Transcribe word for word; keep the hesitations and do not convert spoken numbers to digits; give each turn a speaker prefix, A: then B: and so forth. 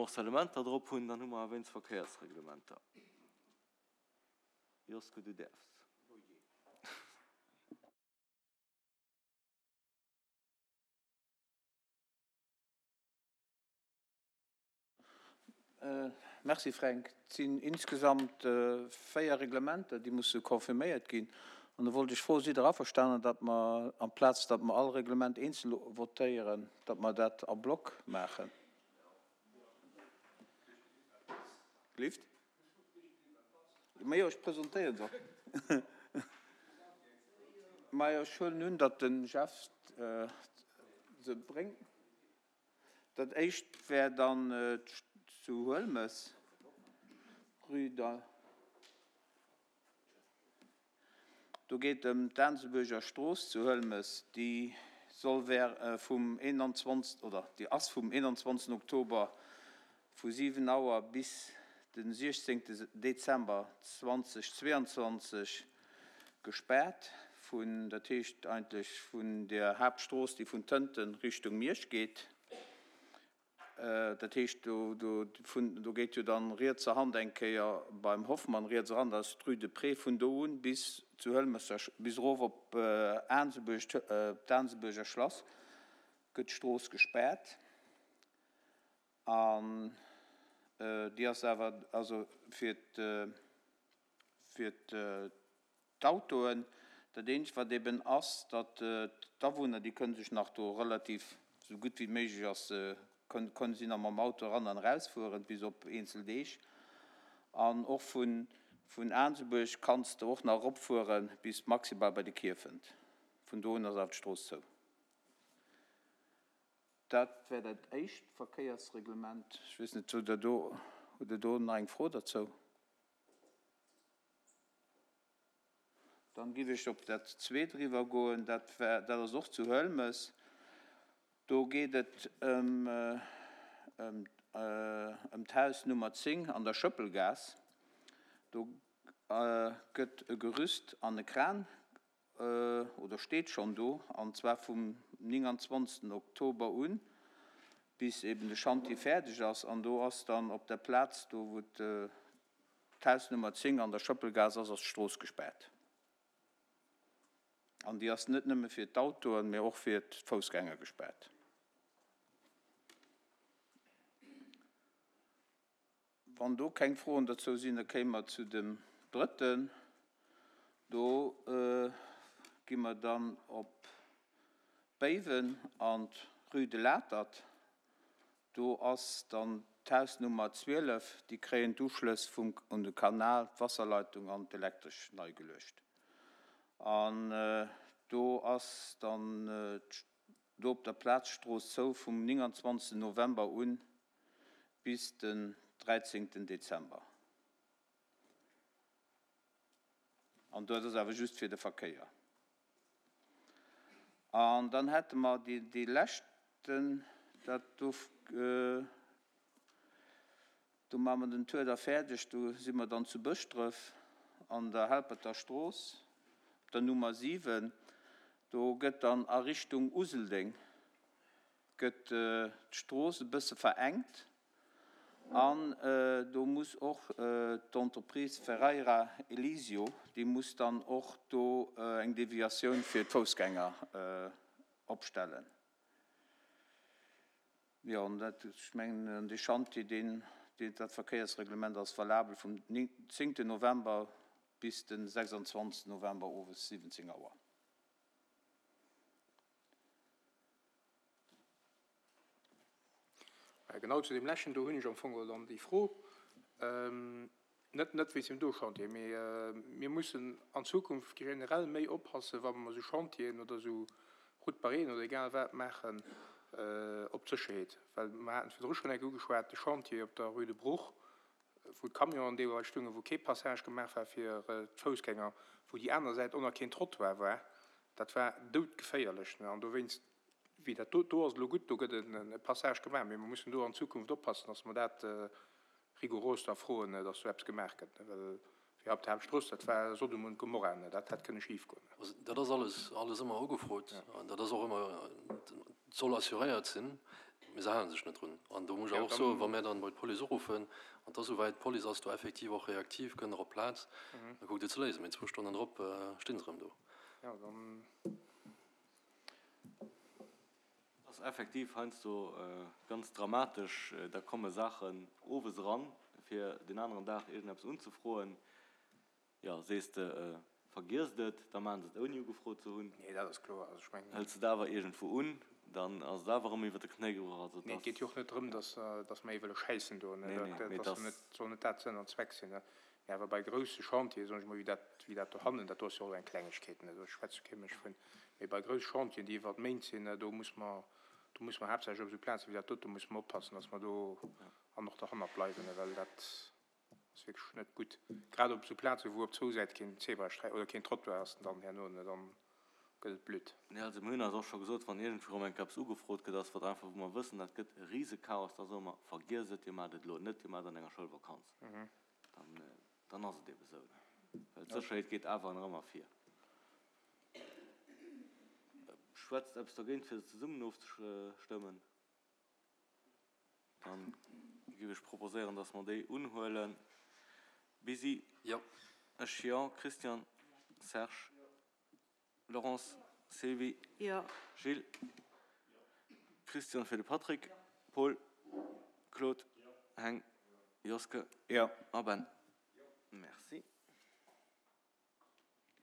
A: Morcellementer drop hunn, dann hu mer awer wéinst Verkéiersreglementer. Josko, du däerfs.
B: Merci Fränk. Et sinn insgesamt véier Reglementer, déi musse confirméiert ginn. An do wollt ech froen, Sidd Der averstanen, datt mer, amplaz datt mer all Reglement eenzel votéieren, datt mer dat a Block maachen? Gelift? Majo, ech presentéieren se och. Majo, ech huelen un, datt de Jeff se bréngt. Dat éischt wär dann zu Huelmes, Rue de. Do geet ëm d'Aansebuerger Strooss zu Huelmes, déi soll wär vum eenanzwanzeg oder déi ass vum eenanzwanzegsten Oktober vu siwen Auer bis de siechzéngte Dezember zweitausendzweiundzwanzeg gespaart, vun, dat heescht eigentlech vun der Haaptstrooss, déi vun Tënten Richtung Miersch geet. Dat heescht, do, do, vun, do geet jo dann rietser Hand eng Kéier beim Hoffmann riets eran, dat ass d'Rue de Pré, vun do un bis zu Hëlmesser, bis erof op Aansebuerg, d'Aansebuerger Schlass, gëtt d'Strooss gespaart. An déi ass awer also fir fir d'Autoen. Dat eenzegt, wat eben ass, datt d'Awunner, déi kënne sech nach do relativ, esou gutt wéi méiglech ass, kënne si nach mam Auto eran an erausfueren, bis op eenzel Deeg. An och vun vun Aansebuerg kanns de och nach eropfuere bis maximal bei de Kierfent. Vun do un ass awer d'Strooss zou. Dat wär dat éischt Verkéiersreglement. Ech weess net, hutt Der do, hutt Der do nach eng Fro derzou? Dann giff ech op dat zweet eriwwergoen. Dat war, dat ass och zu Huelmes. Do geet et ëm, ëm, ëm d'Haus Nummer zéng an der Schëppelgaass. Do gëtt e Gerüst an e Kran, oder steet schonn do, an zwar vum nénganzwanzegsten Oktober un, bis eben de Chantier fäerdeg ass. An do ass dann op der Plaz do, wou d'Haus Nummer zéng an der Schëppelgaass ass, ass d'Strooss gespaart. An déi ass net nëmme fir d'Autoen, mee och fir d'Foussgänger gespaart. Wann do keng Froen dozou sinn, da kéime mer zu dem drëtten. Do gi mer dann op Béiwen an d'Rue de l'Atert. Do ass dann d'Haus Nummer zwielef, déi kréien d'Uschlëss vum un de Kanal, d'Wasserleitung an d'Elektresch nei geluecht. An do ass dann do op der Plaz d'Strooss zou vum nénganzwanzegsten November un bis den dräizéngten Dezember. An dat ass awer just fir de Verkéier. An dann hätte mer dee leschten, dat do, do maache mer den Tour da fäerdeg, do si mer dann zu Bëschdref an der Helperter Strooss op der Nummer siwen. Do gëtt dann a Richtung Useldeng gëtt d'Strooss e bësse verengt an do muss och d'Entreprise Ferreira Elisio, déi muss dann och do eng Deviatioun fir d'Foussgänger opstellen. Jo, an dat, ech mengen, an dee Chantier, deen, dat Verkéiersreglement ass valabel vum zéngten November bis de sechsundzwanzegsten November owes siwwenzéng Auer.
C: Genau zu deem leschten do hunn ech am Fong geholl dann déi Fro, net net wéinst dem do Chantier, mee mir mussen an Zukunft generell méi oppassen, wa mer esou Chantieren oder esou Route barréen oder egal wat maachen, op d'Sécherheet. Well mer haten et virdru schonn eng Kéier ugeschwat, de Chantier op der Rue de Bruch, wou d'Camionen deelweis stungen, wou kee Passage gemaach war fir d'Foussgänger, wou déi aner Säit och nach keen Trottoir war, dat war doudgeféierlech. An dowéinst, wéi dat do, do ass et elo gutt, do gëtt e Passage gemaach, mee mer mussen do an Zukunft oppassen, dass mer dat rigourös da froen, dass do eppes gemaach gëtt, well wéi op der Haaptstrooss, dat war Sodom und Gomorra, dat hätt kënne schif goen.
D: Also dat ass alles, alles ëmmer ugefrot an dat ass och ëmmer, soll assuréiert sinn. Mee se hale sech net drun. An do muss ech awer och soen, wa mär dann bei d'Police uruffen, an et ass esouwäit, d'Police ass do effektiv och reaktiv, kënnt och op d'Plaz, da kuckt et ze léisen. Mee zwou Stonnen drop sti se erëm do.
A: Et ass effektiv heiansdo ganz dramatesch, da komme Saachen owes eran, fir deen aneren Dag iergendeppes unzefroen. Jo, sees de, vergiesst et, da maachen se et ouni ugefrot ze hunn.
C: Nee, dat ass kloer. Also ech mengen.
A: Hëls de et awer iergendwou un, dann ass et awer erëm iwwer de Knéi gebrach. Also
C: Nee, et
A: et
C: geet jo
A: ass.
C: och net drëm, dass, dass mer ee wëlle schäissen do, ne.
A: Nee,
C: Dat,
A: nee,
C: dat
A: mee et
C: ass jo
A: ass.
C: net, soll net dat Sënn an Zweck sinn, ne. Mee awer bei grousse Chantieren, soen ech mol, wéi dat, wéi dat dohannen, dat do ass jo och eng Klengegkeet, ne, do schwätzt jo kee Mënsch vun. Mee bei grousse Chantieren, déi iwwer Méint sinn, ne, do muss mer, do muss mer haaptsächlech op esou Plazen wéi dat dote muss mer oppassen, dass mer do an och derhannert bleiwen, ne, well dat ass wierklech net gutt. Grad op esou Plazen, wou op zwou Säite keen Zebrasträi oder keen Trottoir ass, dann herno, ne, dann gëtt et blöd.
A: Nee, also mir hunn eis och scho gesot, wann iergendwou erëm eng Kéier eppes ugefrot gëtt, ass wat einfach, wou mer wëssen, dat gëtt e Risechaos, da soe mer, vergiess et, dir maacht et elo net, dir maacht an enger Schoulvakanz. Dann, dann ass et eebe sou, ne? Well d'Sécherheet geet awer nach ëmmer vir. Schwätzt eppes dergéint, fir se zesummen ofzestëmmen? Dann géif ech proposéieren, dass mer déi unhuelen. Bisi?
D: Jo.
A: Ech jo. Christian? Serge? Laurence? Sylvie?
E: Jo.
A: Gilles? Christian fir de Patrick? Paul? Claude? Heng? Joske?
B: Jo.
A: A Ben?